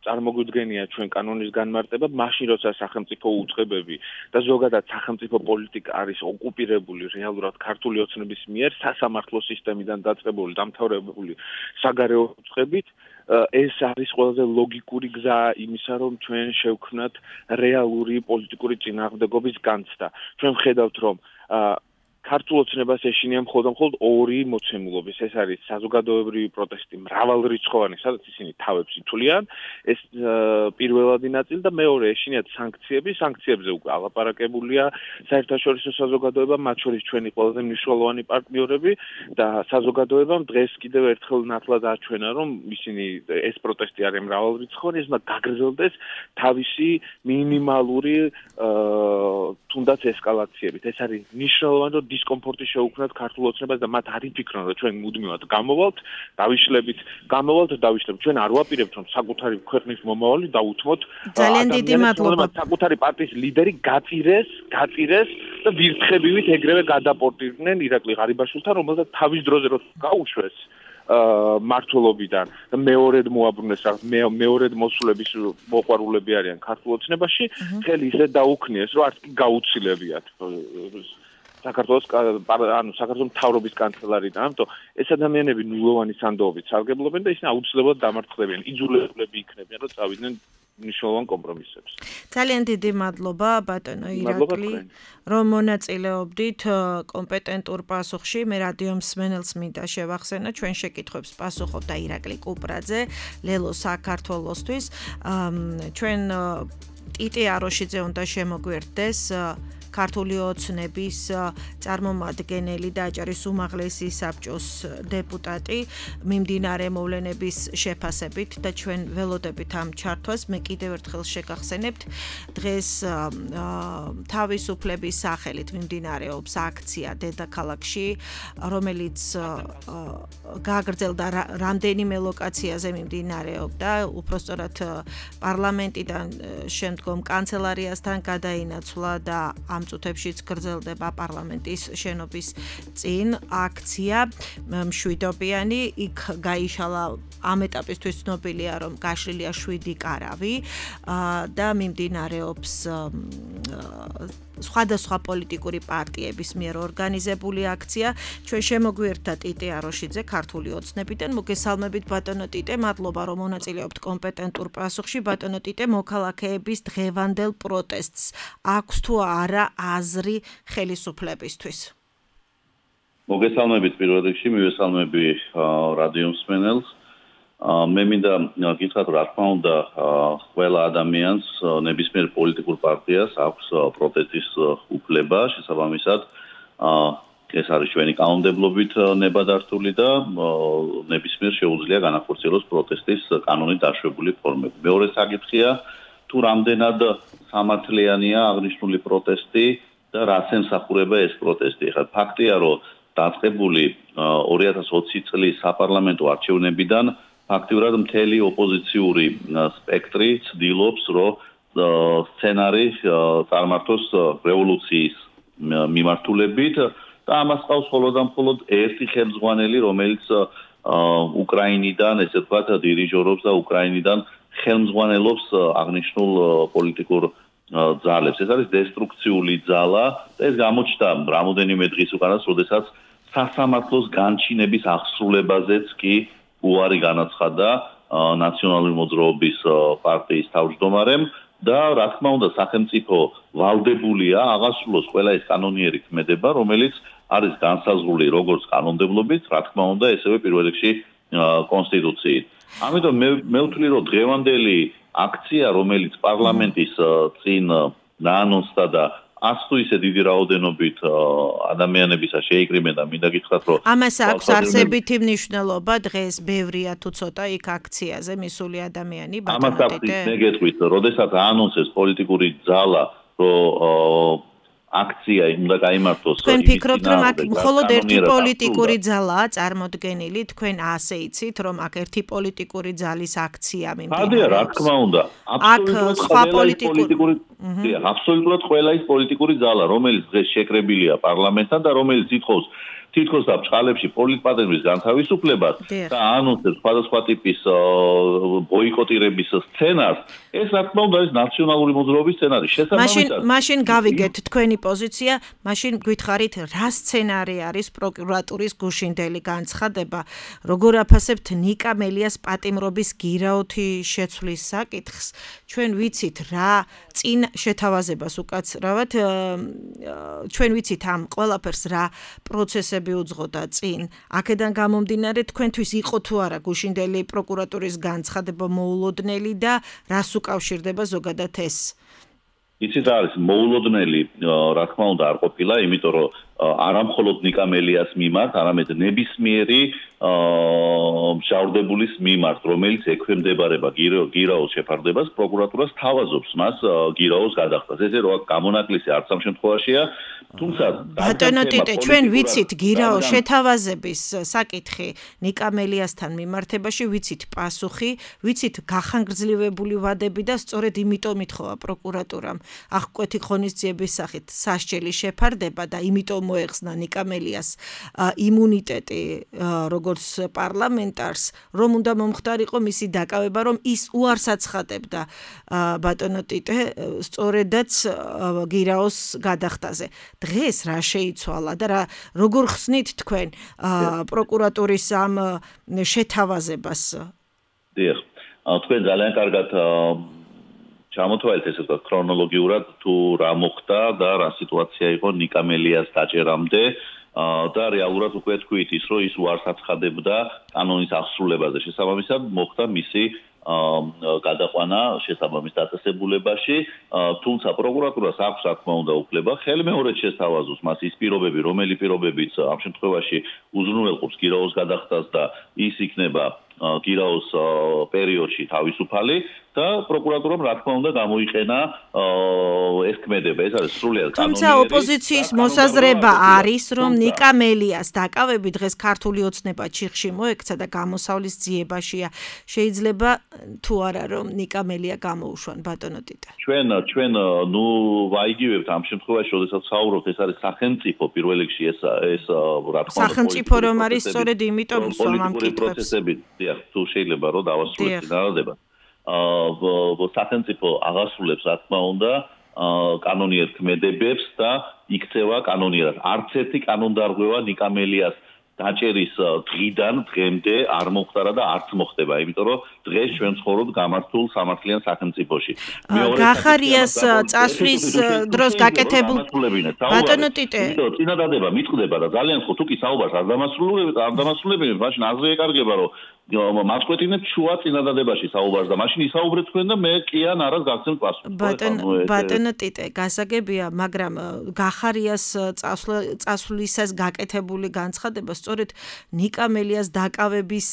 წარმოგვიდგენია ჩვენ კანონის განმარტება, მაშინ როცა სახელმწიფო უწყებები და ზოგადად სახელმწიფო პოლიტიკა არის ოკუპირებული რეალურად ქართული ოცნების მიერ სასამართლო სისტემიდან დაწყებული დამთავრებული საგარეო უწყებით ეს არის ყველაზე ლოგიკური გზა იმისა, რომ ჩვენ შევქმნათ რეალური პოლიტიკური წინააღმდეგობის განცდა. ჩვენ ვხედავთ, რომ ქართულ ოცნებას ეშინია მხოლოდ მხოლოდ ორი მოცემულობის. ეს არის საზოგადოებრივი პროტესტი მრავალრიცხოვანი, სადაც ისინი თავებს ითვლიან, ეს პირველადი ნაწილი და მეორე ეშინიათ სანქციები, სანქციებზე უკვე ალაპარაკებულია საერთაშორისო საზოგადოება, მათ შორის ჩვენი ყველაზე მნიშვნელოვანი პარტნიორები და საზოგადოებამ დღეს კიდევ ერთხელ ნათლად აჩვენა, რომ ისინი ეს პროტესტი არის მრავალრიცხოვანი, ეს უნდა გაგრძელდეს თავისი მინიმალური თუნდაც ესკალაციებით. ეს არის მნიშვნელოვანი, რომ დისკომფორტი შეუქმნათ ქართულ ოცნებას და მათ არ იფიქრონ, რომ ჩვენ მუდმივად გამოვალთ, დავიშლებით, გამოვალთ, დავიშლებით. ჩვენ არ ვაპირებთ, რომ საკუთარი ქვეყნის მომავალი დაუთმოთ. ძალიან დიდი მადლობა. საკუთარი პარტიის ლიდერი გაწირეს, გაწირეს და ვირთხებივით ეგრევე გადაპორტირდნენ ირაკლი ღარიბაშვილთან, რომელსაც თავის დროზე რო გაუშვეს მართლობიდან და მეორედ მოაბრუნეს რაღაც მეორედ მოსულების მოყვარულები არიან ქართულ ოცნებაში, ხელი ისე დაუქნიეს, რომ არც კი გაუცილებიათ. საქართველოს ანუ საქართველოს მთავრობის კანცელარიდან, ამიტომ ეს ადამიანები ნულოვანი სანდოობით სარგებლობენ და ისინი აუცილებლად დამარცხდებიან, იძულებლები იქნებიან, რომ წავიდნენ მნიშვნელოვან კომპრომისებს. ძალიან დიდი მადლობა ბატონო ირაკლი, რომ მონაწილეობდით კომპეტენტურ პასუხში. მე რადიო მსმენელს მინდა შევახსენო, ჩვენ შეკითხვებს პასუხობდა ირაკლი კუპრაძე, ლელო საქართველოსთვის. ჩვენ ტიტე აროშიძე უნდა შემოგვერდეს ქართული ოცნების წარმომადგენელი და აჭარის უმაღლესი საბჭოს დეპუტატი მიმდინარე მოვლენების შეფასებით და ჩვენ ველოდებით ამ ჩართვას. მე კიდევ ერთხელ შეგახსენებთ, დღეს თავისუფლების სახელით მიმდინარეობს აქცია დედაქალაქში, რომელიც გაგრძელდა რამდენიმე ლოკაციაზე მიმდინარეობდა, უпростоრად პარლამენტიდან შემდგომ კანცელარიასთან გადაინაცვლა და ამ წუთებშიც გრძელდება პარლამენტის შენობის წინ აქცია მშვიდობიანი. იქ გაიშალა ამ ეტაპისთვის ცნობილია, რომ გაშლილია შვიდი კარავი და მიმდინარეობს სხვადასხვა პოლიტიკური პარტიების მიერ ორგანიზებული აქცია. ჩვენ შემოგვიერთდა ტიტე აროშიძე ქართული ოცნებიდან. მოგესალმებით ბატონო ტიტე, მადლობა რომ მონაწილეობთ კომპეტენტურ პასუხში. ბატონო ტიტე, მოქალაქეების დღევანდელ პროტესტს აქვს თუ არა აზრი ხელისუფლებისთვის? მოგესალმებით პირველ რიგში, მივესალმები რადიო მსმენელს. მე მინდა გითხრათ, რა თქმა უნდა, ყველა ადამიანს ნებისმიერ პოლიტიკურ პარტიას აქვს პროტესტის უფლება, შესაბამისად, ეს არის ჩვენი კანონმდებლობით ნებადართული და ნებისმიერ შეუძლია განახორციელოს პროტესტის კანონით დაშვებული ფორმები. მეორე საკითხია, თუ რამდენად სამართლიანია აღნიშნული პროტესტი და რაც ემსახურება ეს პროტესტი. ხა ფაქტია, რომ დაწყებული ორი ათას ოცი წლის საპარლამენტო არჩევნებიდან ფაქტიურად მთელი ოპოზიციური სპექტრი ცდილობს, რომ სცენარი წარმართოს რევოლუციის მიმართულებით და ამას ყავს მხოლოდ და მხოლოდ ერთი ხელმძღვანელი, რომელიც უკრაინიდან, ესე ვთქვათ, დირიჟორობს და უკრაინიდან ხელმძღვანელობს აღნიშნულ პოლიტიკურ ძალებს. ეს არის დესტრუქციული ძალა და ეს გამოჩნდა რამოდენიმე დღის უკანას, როდესაც სასამართლოს განჩინების აღსრულებაზეც კი უარი განაცხადა ნაციონალური მოძრაობის პარტიის თავმჯდომარემ და რა თქმა უნდა სახელმწიფო ვალდებულია აღასრულოს ყველა ეს კანონიერი ქმედება, რომელიც არის განსაზღვრული როგორც კანონმდებლობით, რა თქმა უნდა, ესევე პირველ რიგში კონსტიტუციით. ამიტომ მე მე ვთვლი, რომ დღევანდელი აქცია, რომელიც პარლამენტის წინ დაანონსდა და ას თუ ისე დიდი რაოდენობით ადამიანებისა შეიკრიბნენ და მინდა გითხრათ, რომ ამას აქვს არსებითი მნიშვნელობა დღეს ბევრია თუ ცოტა იქ აქციაზე მისული ადამიანი ბატონო ტიტე. ამას მე გეტყვით, როდესაც აანონსეს პოლიტიკური ძალა, რომ აქცია უნდა გაიმართოს. თქვენ ფიქრობთ, რომ აქ მხოლოდ ერთი პოლიტიკური ძალაა წარმოდგენილი, თქვენ ასე იცით, რომ აქ ერთი პოლიტიკური ძალის აქცია მიმდინარეობს. ხადია, რა თქმა უნდა. აბსოლუტურად სხვა პოლიტიკური აბსოლუტურად ყველა ის პოლიტიკური ძალა, რომელიც დღეს შეკრებილია პარლამენტთან და რომელიც ითხოვს თითქოს და ბჭყალებში პოლიტპატიმრის განთავისუფლებას და ანონსებს სხვადასხვა ტიპის ბოიკოტირების სცენარს, ეს რა თქმა უნდა არის ნაციონალური მოძრაობის სცენარი. შესაბამისად, მაშინ გავიგეთ თქვენი პოზიცია, მაშინ გითხარით, რა სცენარი არის პროკურატურის გუშინდელი განცხადება, როგორ აფასებთ ნიკა მელიას პატიმრობის გირაოთი შეცვლის საკითხს. ჩვენ ვიცით რა წინ შეთავაზებას უკაცრავად, ჩვენ ვიცით ამ ყველაფერს რა პროცესები უძღოდა წინ. აქედან გამომდინარე თქვენთვის იყო თუ არა გუშინდელი პროკურატურის განცხადება მოულოდნელი და რას უკავშირდება ზოგადად ეს? იცით არის მოულოდნელი, რა თქმა უნდა არ ყოფილა, იმიტომ რომ არა მხოლოდ ნიკა მელიას მიმართ, არამედ ნებისმიერი მჟავრდებულის მიმართ, რომელიც ექვემდებარება გირაოს შეფარდებას, პროკურატურას თავაზობს მას გირაოს გადახდას. ესე რომ გამონაკლისი არც ამ შემთხვევაშია, თუმცა ბატონო ტიტე, ჩვენ ვიცით გირაოს შეთავაზების საკითხი ნიკა მელიასთან მიმართებაში, ვიცით პასუხი, ვიცით გახანგრძლივებული ვადები და სწორედ იმიტომ ითხოვა პროკურატურამ აღკვეთი ღონისძიების სახით სასჯელი შეფარდება და იმიტომ მოეხსნა ნიკა მელიას იმუნიტეტი როგორც პარლამენტარს, რომ უნდა მომხდარიყო მისი დაკავება, რომ ის უარს აცხადებდა ბატონო ტიტე სწორედაც გირაოს გადახდაზე. დღეს რა შეიცვალა და რა როგორ ხსნით თქვენ პროკურატურის ამ შეთავაზებას? დიახ, თქვენ ძალიან კარგად ჩამოთვალეთ ესე ვთქვათ ქრონოლოგიურად თუ რა მოხდა და რა სიტუაცია იყო ნიკა მელიას დაჭერამდე და რეალურად უკვე თქვით ის რომ ის უარს აცხადებდა კანონის აღსრულებაზე. შესაბამისად მოხდა მისი გადაყვანა შესაბამის დაწესებულებაში, თუმცა პროკურატურას აქვს რა თქმა უნდა უფლება ხელმეორედ შესთავაზოს მას ის პირობები, რომელი პირობებიც ამ შემთხვევაში უზრუნველყოფს გირაოს გადახდას და ის იქნება გირაოს პერიოდში თავისუფალი და პროკურატურამ რა თქმა უნდა გამოიყენა ეს ქმედება. ეს არის სრულიად კანონიერი. თუმცა ოპოზიციის მოსაზრება არის, რომ ნიკა მელიას დაკავები დღეს ქართული ოცნება ჩიხში მოექცა და გამოსავლის ძიებაშია. შეიძლება თუ არა რომ ნიკა მელია გამოუშვან ბატონო ტიტე. ჩვენ ჩვენ ნუ ვაიგივებთ ამ შემთხვევაში, როდესაც საუბრობთ, ეს არის სახელმწიფო პირველ რიგში ეს ეს რა თქმა უნდა სახელმწიფო რომ არის სწორედ იმიტომ სვამ ამ კითხვებს. დიახ, თუ შეიძლება რომ დავასრულოთ წინადადება. აა სახელმწიფო აღასრულებს რა თქმა უნდა კანონიერ ქმედებებს და იქცევა კანონიერად. არც ერთი კანონდარღვევა ნიკა მელიას დაჭერის დღიდან დღემდე არ მოხდარა და არც მოხდება, იმიტომ რომ დღეს ჩვენ ცხოვრობთ გამართულ სამართლიან სახელმწიფოში. გახარიას წასვლის დროს გაკეთებულ ბატონო ტიტე. წინადადება მიტყდება და ძალიან ხო თუ კი საუბარს არ დამასრულებთ, არ დამასრულებთ, მაშინ აზრი ეკარგება რომ მასკვეთინებ შუა წინადადებაში საუბარს და მაშინ ისაუბრეთ თქვენ და მე კი ან არას გაგცემთ პასუხი. ბატონო ტიტე, გასაგებია, მაგრამ გახარიას წასვლისას გაკეთებული განცხადება სწორედ ნიკა მელიას დაკავების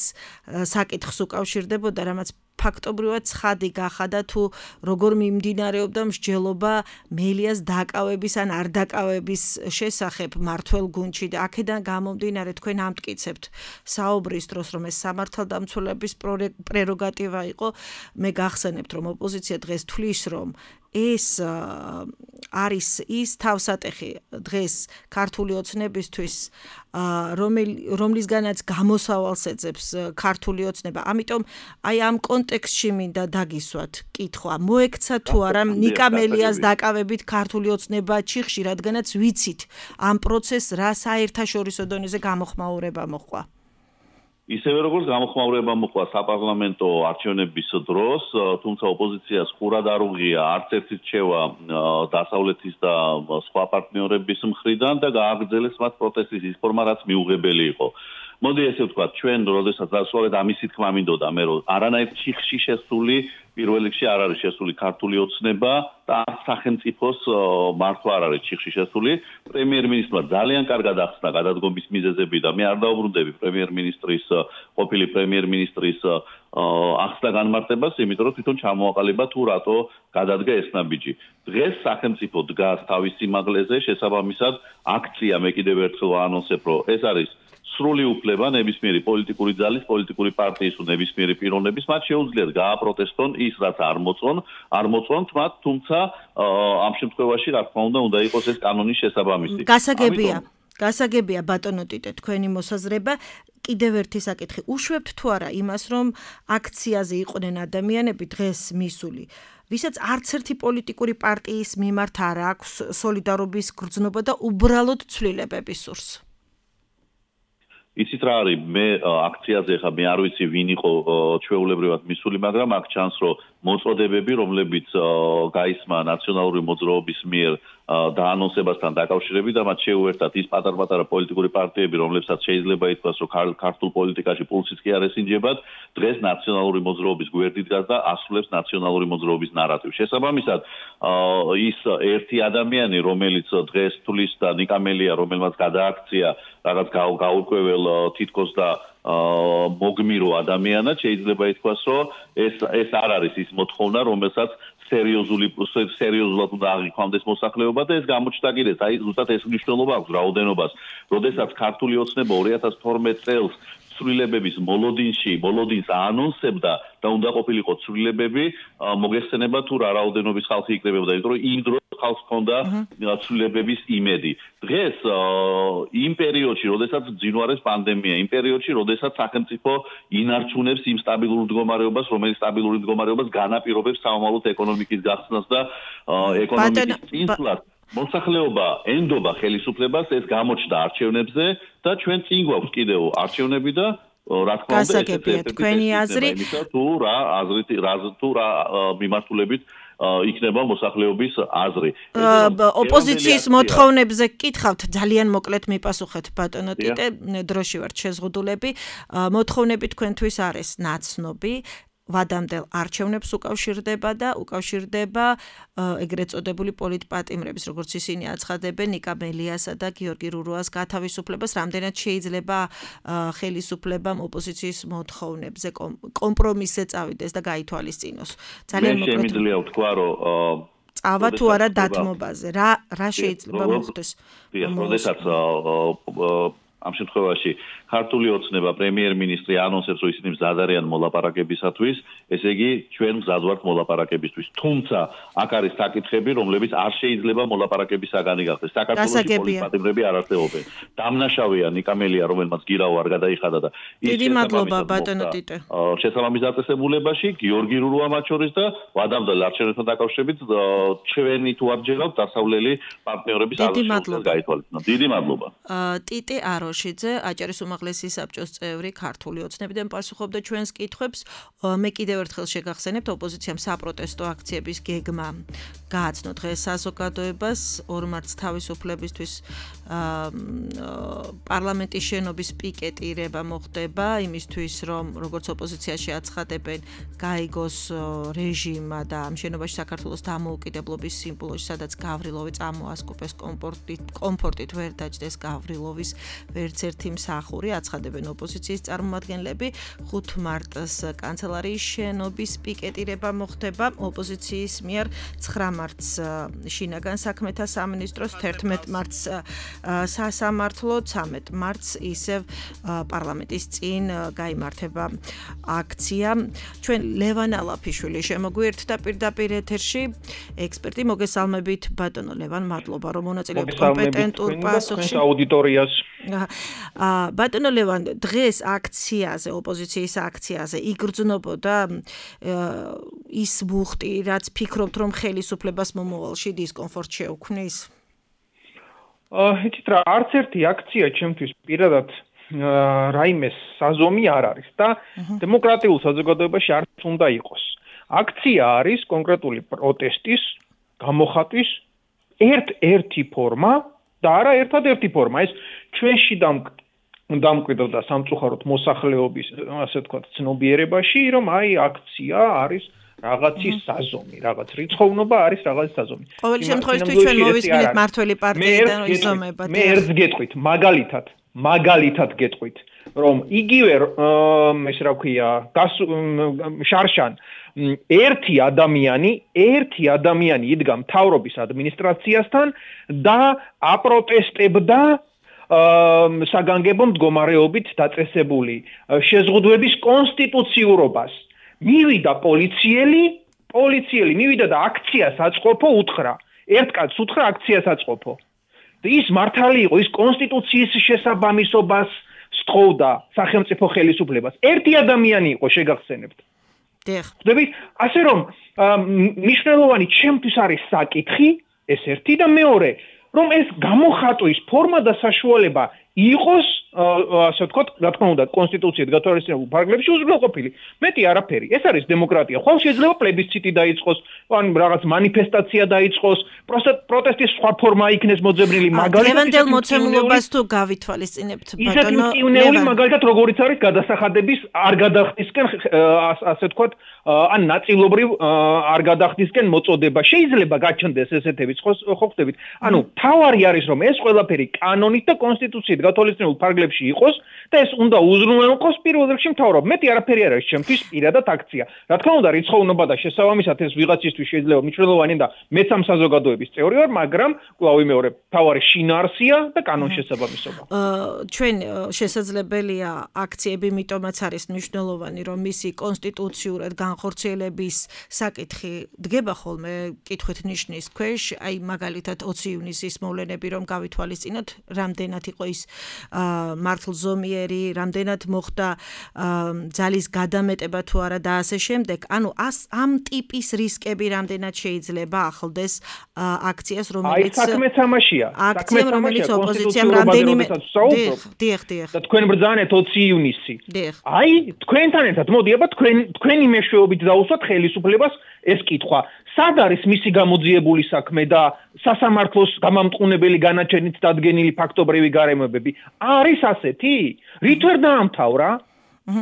საკითხს უკავშირდებოდა, რამაც ფაქტობრივად ცხადი გახადა თუ როგორ მიმდინარეობდა მსჯელობა მელიას დაკავების ან არ დაკავების შესახებ მართველ გუნდში და აქედან გამომდინარე თქვენ ამტკიცებთ საუბრის დროს რომ ეს სამართალდამცველების პრეროგატივა იყო. მე გახსენებთ რომ ოპოზიცია დღეს თვლის რომ ეს არის ის თავსატეხი დღეს ქართული ოცნებისთვის, რომლისგანაც გამოსავალს ეძებს ქართული ოცნება. ამიტომ აი ამ კონტექსტში მინდა დაგისვათ კითხვა. მოექცა თუ არა ნიკა მელიას დაკავებით ქართული ოცნება ჩიხში, რადგანაც ვიცით ამ პროცესს რა საერთაშორისო დონეზე გამოხმაურება მოყვა. ისევე როგორც გამოხმაურება მოყვა საპარლამენტო არჩევნების დროს, თუმცა ოპოზიციას ხურად არ უღია არც ერთი რჩევა დასავლეთის და სხვა პარტნიორების მხრიდან და გააგრძელეს მათ პროტესტის ის ფორმა, რაც მიუღებელი იყო. მოდი ესე ვთქვათ, ჩვენ როდესაც დასავლეთ ამისი თქმა მინდოდა მე რომ არანაირ ჩიხში შესული პირველ რიგში არ არის შესული ქართული ოცნება და არც სახელმწიფოს მართვა არ არის ჩიხში შესული. პრემიერ-მინისტრმა ძალიან კარგად ახსნა გადადგომის მიზეზები და მე არ დაუბრუნდები პრემიერ-მინისტრის ყოფილი პრემიერ-მინისტრის ახსნა განმარტებას, იმიტომ რომ თვითონ ჩამოაყალიბა თუ რატო გადადგა ეს ნაბიჯი. დღეს სახელმწიფო დგას თავის სიმაღლეზე, შესაბამისად აქცია მე კიდევ ერთხელ ვაანონსებ, რომ ეს არის სრული უფლება ნებისმიერი პოლიტიკური ძალის, პოლიტიკური პარტიის თუ ნებისმიერი პიროვნების, მათ შეუძლიათ გააპროტესტონ ის, რაც არ მოწონ, არ მოწონთ მათ, თუმცა ამ შემთხვევაში რა თქმა უნდა უნდა იყოს ეს კანონის შესაბამისი. გასაგებია, გასაგებია ბატონო ტიტე, თქვენი მოსაზრება. კიდევ ერთი საკითხი. უშვებთ თუ არა იმას, რომ აქციაზე იყვნენ ადამიანები დღეს მისული, ვისაც არც ერთი პოლიტიკური პარტიის მიმართ არ აქვს სოლიდარობის გრძნობა და უბრალოდ ცვლილებების სურს? იცით რა არის, მე აქციაზე ხა მე არ ვიცი ვინ იყო ჩვეულებრივად მისული, მაგრამ აქ ჩანს, რომ მოწოდებები, რომლებიც გაისმა ნაციონალური მოძრაობის მიერ დაანონსებასთან დაკავშირებით და მათ შეუერთდათ ის პატარ-პატარა პოლიტიკური პარტიები, რომლებსაც შეიძლება ითქვას, რომ ქართულ პოლიტიკაში პულსიც კი არ ესინჯებათ, დღეს ნაციონალური მოძრაობის გვერდით დგას და ასრულებს ნაციონალური მოძრაობის ნარატივს. შესაბამისად, ის ერთი ადამიანი, რომელიც დღეს თulis და ნიკა მელია, რომელმაც გადააქცია რაღაც გაურკვეველ თითქოს და მოგმირო ადამიანად, შეიძლება ითქვას, რომ ეს ეს არ არის ის მოთხოვნა, რომელსაც სერიოზული სერიოზულად უნდა აღიქვამდეს მოსახლეობა და ეს გამოჩნდა კიდეც, აი ზუსტად ეს მნიშვნელობა აქვს რაოდენობას. როდესაც ქართული ოცნება ორი ათას თორმეტ წელს ცვლილებების მოლოდინში, მოლოდინს აანონსებდა და უნდა ყოფილიყო ცვლილებები, მოგეხსენება თუ რა რაოდენობის ხალხი იკრებებოდა, იმიტომ რომ იმ დროს ხალხს ჰქონდა ცვლილებების იმედი. დღეს იმ პერიოდში, როდესაც ძინვარეს პანდემია, იმ პერიოდში, როდესაც სახელმწიფო ინარჩუნებს იმ სტაბილურ მდგომარეობას, რომელიც სტაბილური მდგომარეობას განაპირობებს სამომავლოდ ეკონომიკის გახსნას და ეკონომიკის წინსვლას. მოსახლეობა ენდობა ხელისუფლებას, ეს გამოჩნდა არჩევნებზე და ჩვენ წინ გვაქვს კიდევ არჩევნები და რა თქმა უნდა გასაგებია თქვენი აზრი თუ რა აზრით რა თუ რა მიმართულებით იქნება მოსახლეობის აზრი. ოპოზიციის მოთხოვნებზე გკითხავთ, ძალიან მოკლედ მიპასუხეთ ბატონო ტიტე, დროში ვართ შეზღუდულები. მოთხოვნები თქვენთვის არის ნაცნობი. ვადამდელ არჩევნებს უკავშირდება და უკავშირდება ეგრეთ წოდებული პოლიტპატიმრების, როგორც ისინი აცხადებენ, ნიკა მელიასა და გიორგი რურუას გათავისუფლებას, რამდენად შეიძლება ხელისუფლებამ ოპოზიციის მოთხოვნებზე კომპრომისზე წავიდეს და გაითვალისწინოს. ძალიან მოკლედ შემიძლია ვთქვა, რომ წავა თუ არა დათმობაზე, რა რა შეიძლება მოხდეს? როდესაც ამ შემთხვევაში ქართული ოცნება პრემიერ-მინისტრი ანონსებს, რომ ისინი მზად არიან მოლაპარაკებისათვის, ესე იგი ჩვენ მზად ვართ მოლაპარაკებისთვის. თუმცა აქ არის საკითხები, რომლებიც არ შეიძლება მოლაპარაკების საგანი გახდეს. საქართველოს პოლიტპატიმრები არ არსებობენ. დამნაშავეა ნიკა მელია, რომელმაც გირავა არ გადაიხადა და დიდი მადლობა ბატონო ტიტე. შესაბამის დაწესებულებაში გიორგი რურუა მათ შორის და ვადამდელ არჩევნებთან დაკავშირებით ჩვენი თუ არ ჯერავთ დასავლელი პარტნიორების არჩევნებს გაითვალისწინოთ. დიდი მადლობა. ტიტე აროშიძე, აჭარის უმაღლესი საბჭოს წევრი ქართული ოცნებიდან პასუხობდა ჩვენს კითხვებს. მე კიდევ ერთხელ შეგახსენებთ, ოპოზიციამ საპროტესტო აქციების გეგმა გააცნო დღეს საზოგადოებას ორმარც თავისუფლებისთვის პარლამენტის შენობის პიკეტირება მოხდება იმისთვის, რომ როგორც ოპოზიციაში აცხადებენ, გაიგოს რეჟიმა და ამ შენობაში საქართველოს დამოუკიდებლობის სიმბოლოში, სადაც გავრილოვი წამოასკუპეს კომფორტით, კომფორტით ვერ დაჯდეს გავრილოვის ვერ ერთ-ერთი მსახური, აცხადებენ ოპოზიციის წარმომადგენლები. ხუთ მარტს კანცელარიის შენობის პიკეტირება მოხდება ოპოზიციის მიერ, ცხრა მარტს შინაგან საქმეთა სამინისტროს, თერთმეტ მარტს სასამართლო, ცამეტ მარტს ისევ პარლამენტის წინ გაიმართება აქცია. ჩვენ ლევან ალაფიშვილი შემოგვიერთდა პირდაპირ ეთერში, ექსპერტი. მოგესალმებით ბატონო ლევან, მადლობა რომ მონაწილეობთ კომპეტენტურ პასუხში აუდიტორიას. ბატონო ლევან, დღეს აქციაზე, ოპოზიციის აქციაზე იგრძნობოდა ის ბუხტი, რაც ფიქრობთ რომ ხელისუფლებას მომავალში დისკომფორტ შეუქმნის? იცით რა, არც ერთი აქცია ჩემთვის პირადად რაიმე საზომი არ არის და დემოკრატიულ საზოგადოებაში არც უნდა იყოს. აქცია არის კონკრეტული პროტესტის, გამოხატვის ერთ-ერთი ფორმა და არა ერთადერთი ფორმა. ეს ჩვენში დამკვიდრდა და სამწუხაროდ მოსახლეობის, ასე ვთქვათ, ცნობიერებაში, რომ აი აქცია არის რაღაცის საზომი, რაღაც რიცხოვნობა არის რაღაცის საზომი. ყოველ შემთხვევაში ჩვენ მოვისმინეთ მართველი პარტიიდან იზომებად. მე ერთს გეტყვით, მაგალითად, მაგალითად გეტყვით, რომ იგივე ეს რა ქვია, შარშან ერთი ადამიანი, ერთი ადამიანი იდგა მთავრობის ადმინისტრაციასთან და აპროტესტებდა საგანგებო მდგომარეობით დაწესებული შეზღუდვების კონსტიტუციურობას. მივიდა პოლიციელი, პოლიციელი მივიდა და აქციას აწყობო უთხრა. ერთ კაცს უთხრა აქციას აწყობო. და ის მართალი იყო, ის კონსტიტუციის შესაბამისობას სთხოვდა სახელმწიფო ხელისუფლებას. ერთი ადამიანი იყო, შეგახსენებთ. ხდებით, ასე რომ მნიშვნელოვანი ჩემთვის არის საკითხი, ეს ერთი და მეორე, რომ ეს გამოხატვის ფორმა და საშუალება იყოს, ასე ვთქვათ, რა თქმა უნდა, კონსტიტუციით გათვალისწინებულ ფარგლებში უზრუნველყოფილი. მეტი არაფერი. ეს არის დემოკრატია. ხვალ შეიძლება პლებისციტი დაიწყოს, ან რაღაც მანიფესტაცია დაიწყოს, პროტესტის სხვა ფორმა იქნეს მოძებნილი, მაგალითად ლევანდელ მოცემულობას თუ გავითვალისწინებთ, ბატონო, ისეთი მაგალითად როგორიც არის გადასახადების არ გადახდისკენ, ასე ვთქვათ, ან ნაწილობრივ არ გადახდისკენ მოწოდება. შეიძლება გაჩნდეს ესეთებიც, ხო ხდებით? ანუ თავარი არის რომ ეს ყველაფერი კანონით და კონსტიტუციით გათვალისწინებულ ფარგლებში იყოს და ეს უნდა უზრუნველყოს პირველ რიგში მთავრობა. მეტი არაფერი არ არის ჩემთვის პირადად აქცია. რა თქმა უნდა, რიცხოვნობა და შესაბამისად ეს ვიღაცისთვის შეიძლება მნიშვნელოვანი და მეც ამ საზოგადოების წევრი ვარ, მაგრამ კვლავ ვიმეორებ, თავარი შინაარსია და კანონშესაბამისობა. ჩვენ შესაძლებელია აქციები, მიტომაც არის მნიშვნელოვანი, რომ მისი კონსტიტუციურად განხორციელების საკითხი დგება ხოლმე კითხვით ნიშნის ქვეშ, აი მაგალითად ოცი ივნისის მოვლენები რომ გავითვალისწინოთ, რამდენად იყო ის მართლზომიერი, რამდენად მოხდა ძალის გადამეტება თუ არა და ასე შემდეგ. ანუ ამ ტიპის რისკები რამდენად შეიძლება ახლდეს აქციას, რომელიც აი საქმეც ამაშია. აქციამ, რომელიც ოპოზიციამ რამდენიმე დიახ, დიახ, დიახ. და თქვენ ბრძანეთ ოცი ივნისი. აი თქვენთან ერთად მოდი, აბა თქვენ თქვენი მეშვეობით დაუსვათ ხელისუფლებას ეს კითხვა. სად არის მისი გამოძიებული საქმე და სასამართლოს გამამტყუნებელი განაჩენით დადგენილი ფაქტობრივი გარემოებები? არის ასეთი? რით ვერ დაამთავრა?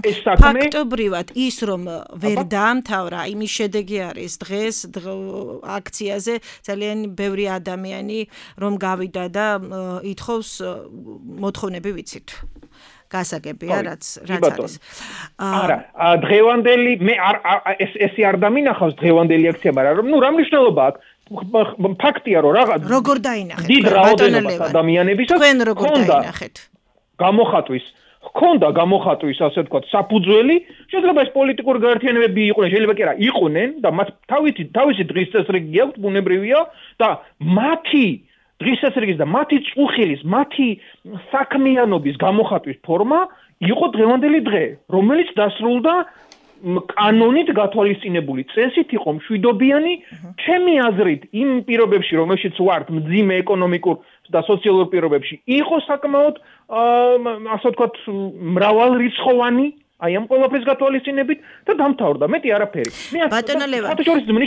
ეს საქმე ფაქტობრივად ის რომ ვერ დაამთავრა, იმის შედეგი არის დღეს აქციაზე ძალიან ბევრი ადამიანი რომ გავიდა და ითხოვს მოთხოვნები ვიცით. გასაგებია რაც რაც არის. არა, დღევანდელი მე არ ეს ესე არ დამინახავს დღევანდელი აქცია, მაგრამ ნუ რა მნიშვნელობა აქვს? ფაქტია რომ რაღაც როგორ დაინახეთ? დიდ რაოდენობას ადამიანებისაც თქვენ როგორ დაინახეთ? გამოხატვის ხონდა გამოხატვის, ასე ვთქვათ, საფუძველი, შეიძლება ეს პოლიტიკური გაერთიანებები იყვნენ, შეიძლება კი არა, იყვნენ და მათ თავისი თავისი დღის წესრიგი აქვს, ბუნებრივია და მათი დღის წესრიგის და მათი წუხილის, მათი საქმიანობის გამოხატვის ფორმა იყო დღევანდელი დღე, რომელიც დასრულდა კანონით გათვალისწინებული წესით იყო მშვიდობიანი, ჩემი აზრით, იმ პირობებში, რომელშიც ვართ, მძიმე ეკონომიკურ და სოციალურ პირობებში, იყო საკმაოდ, ასე ვთქვათ, მრავალრიცხოვანი, აი ამ ყველაფრის გათვალისწინებით და დამთავრდა. მეტი არაფერი. ბატონო ლევან,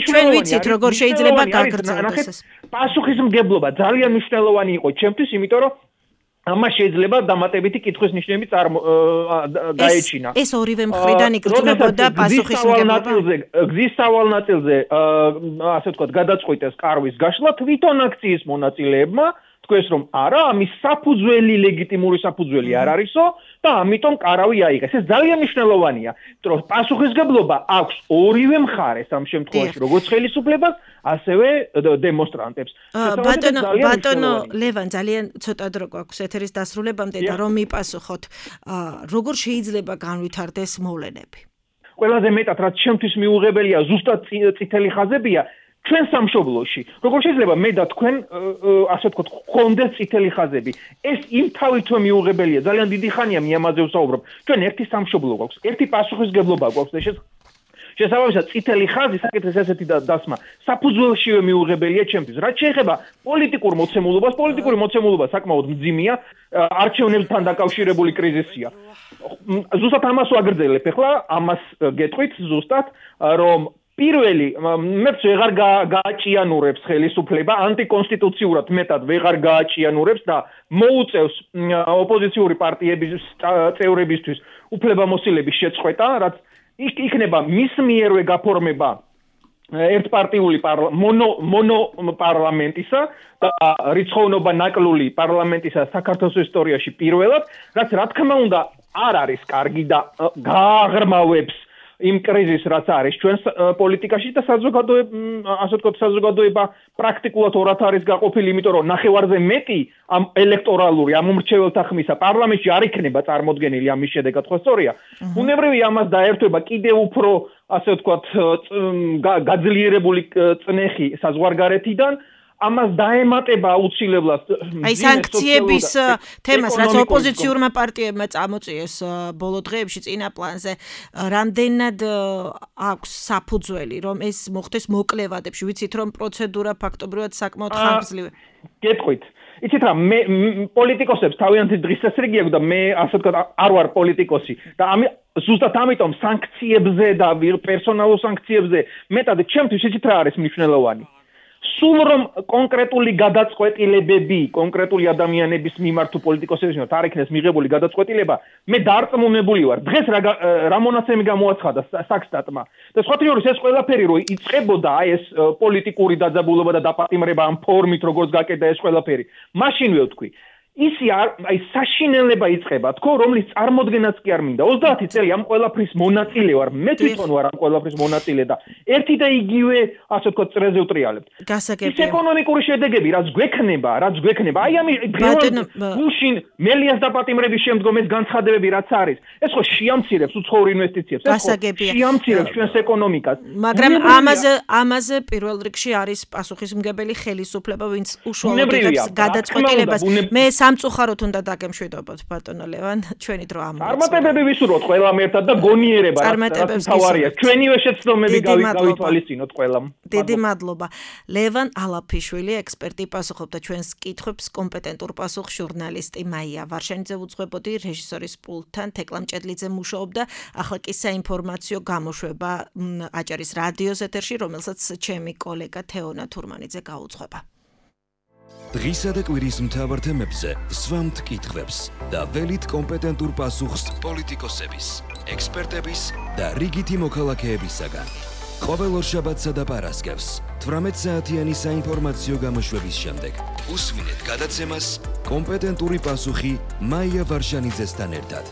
ჩვენ ვიცით როგორ შეიძლება გაგრძელდეს ეს. პასუხისმგებლობა ძალიან მნიშვნელოვანი იყო ჩემთვის, იმიტომ რომ ამას შეიძლება დამატებითი კითხვის ნიშნები გაეჩინა. ეს ორივე მხრიდან იგრძნობოდა პასუხისმგებლობა. გზის სავალ ნაწილზე, ასე ვთქვათ, გადაწყვიტეს კარვის გაშლა თვითონ აქციის მონაწილეებმა, თქვენს რომ არა, ამის საფუძველი ლეგიტიმური საფუძველი არ არისო და ამიტომ კარავი აიღეს. ეს ძალიან მნიშვნელოვანია, იმიტომ რომ პასუხისგებლობა აქვს ორივე მხარეს ამ შემთხვევაში, როგორც ხელისუფლებას, ასევე დემონსტრანტებს. ბატონო, ბატონო ლევან, ძალიან ცოტა დრო გვაქვს ეთერის დასრულებამდე და რომ მიპასუხოთ, როგორ შეიძლება განვითარდეს მოვლენები? ყველაზე მეტად რაც ჩემთვის მიუღებელია, ზუსტად წითელი ხაზებია ჩვენ სამშობლოში. როგორ შეიძლება მე და თქვენ ასე ვთქვათ, გქონდეს წითელი ხაზები? ეს იმ თავითვე მიუღებელია. ძალიან დიდი ხანია მე ამაზე ვსაუბრობ. ჩვენ ერთი სამშობლო გვაქვს, ერთი პასუხისგებლობა გვაქვს და შესაბამისად წითელი ხაზი საკითხის ესეთი დასმა საფუძველშივე მიუღებელია ჩემთვის. რაც შეეხება პოლიტიკურ მოცემულობას, პოლიტიკური მოცემულობა საკმაოდ მძიმეა, არჩევნებთან დაკავშირებული კრიზისია. ზუსტად ამას ვაგრძელებ ახლა, ამას გეტყვით ზუსტად, რომ პირველი მეც ვეღარ გააჭიანურებს ხელისუფლება, ანტიკონსტიტუციურად მეტად ვეღარ გააჭიანურებს და მოუწევს ოპოზიციური პარტიების წევრებისთვის უფლებამოსილების შეწყვეტა, რაც იქნება მის მიერვე გაფორმება ერთპარტიული მონო მონო პარლამენტისა და რიცხოვნობა ნაკლული პარლამენტისა საქართველოს ისტორიაში პირველად, რაც რა თქმა უნდა არ არის კარგი და გააღრმავებს იმ კრიზისს რაც არის ჩვენს პოლიტიკაში და საზოგადოება, ასე ვთქვათ, საზოგადოება პრაქტიკულად ორად არის გაყოფილი, იმიტომ რომ ნახევარზე მეტი ამ ელექტორალური ამომრჩეველთა ხმისა პარლამენტში არ იქნება წარმოდგენილი ამის შედეგად, ხო სწორია? უნებრივია ამას დაერთვება კიდევ უფრო, ასე ვთქვათ, გაძლიერებული წნეხი საზღვარგარეთიდან. ამას დაემატება აუცილებლად აი სანქციების თემას, რაც ოპოზიციურმა პარტიებმა წამოწიეს ბოლო დღეებში წინა პლანზე, რამდენად აქვს საფუძველი, რომ ეს მოხდეს მოკლევადებში, ვიცით რომ პროცედურა ფაქტობრივად საკმაოდ ხანგრძლივია. გეტყვით. იცით რა, მე პოლიტიკოსებს თავიანთი დღის წესრიგი აქვს და მე ასე ვთქვათ არ ვარ პოლიტიკოსი და ამი ზუსტად ამიტომ სანქციებზე და პერსონალურ სანქციებზე მეტად ჩემთვის იცით რა არის მნიშვნელოვანი? სულ რომ კონკრეტული გადაწყვეტილებები კონკრეტული ადამიანების მიმართ თუ პოლიტიკოსების მიმართ არ იქნეს მიღებული გადაწყვეტილება, მე დარწმუნებული ვარ. დღეს რა რა მონაცემი გამოაცხადა საქსტატმა. და სხვა თეორიის ეს ყველაფერი რო იწყებოდა აი ეს პოლიტიკური დაძაბულობა და დაპატიმრება ამ ფორმით როგორც გაკეთა ეს ყველაფერი. მაშინვე ვთქვი, ისი აი საშინელება იწყება, თქო, რომლის წარმოდგენაც კი არ მინდა. ოცდაათი წელი ამ ყველაფრის მონაწილე ვარ, მე თვითონ ვარ ამ ყველაფრის მონაწილე და ერთი და იგივე, ასე ვთქვათ, წრეზე ვტრიალებთ. გასაგებია. ის ეკონომიკური შედეგები, რაც გვექნება, რაც გვექნება, აი ამის გუშინ მელიას დაპატიმრების შემდგომ ეს განცხადებები რაც არის, ეს ხო შეამცირებს უცხოურ ინვესტიციებს, ეს ხო შეამცირებს ჩვენს ეკონომიკას. მაგრამ ამაზე ამაზე პირველ რიგში არის პასუხისმგებელი ხელისუფლება, ვინც უშუალოდ იღებს გადაწყვეტილებას. მე სამწუხაროდ უნდა დაგემშვიდობოთ ბატონო ლევან, ჩვენი დრო ამოიწურა. წარმატებები ვისურვოთ ყველამ ერთად და გონიერება რაც თავარია. ჩვენივე შეცდომები გავითვალისწინოთ ყველამ. დიდი მადლობა. ლევან ალაფიშვილი, ექსპერტი, პასუხობდა ჩვენს კითხვებს, კომპეტენტურ პასუხს ჟურნალისტი მაია ვარშანიძე უძღვებოდი, რეჟისორის პულტთან თეკლა მჭედლიძე მუშაობდა. ახლა კი საინფორმაციო გამოშვება აჭარის რადიოს ეთერში, რომელსაც ჩემი კოლეგა თეონა თურმანიძე გაუძღვება. დღისა და კვირის მთავარ თემებზე სვამთ კითხვებს და ველით კომპეტენტურ პასუხს პოლიტიკოსების, ექსპერტების და რიგითი მოქალაქეებისაგან. ყოველ ორშაბათსა და პარასკევს თვრამეტ საათიანი საინფორმაციო გამოშვების შემდეგ უსმინეთ გადაცემას კომპეტენტური პასუხი მაია ვარშანიძესთან ერთად.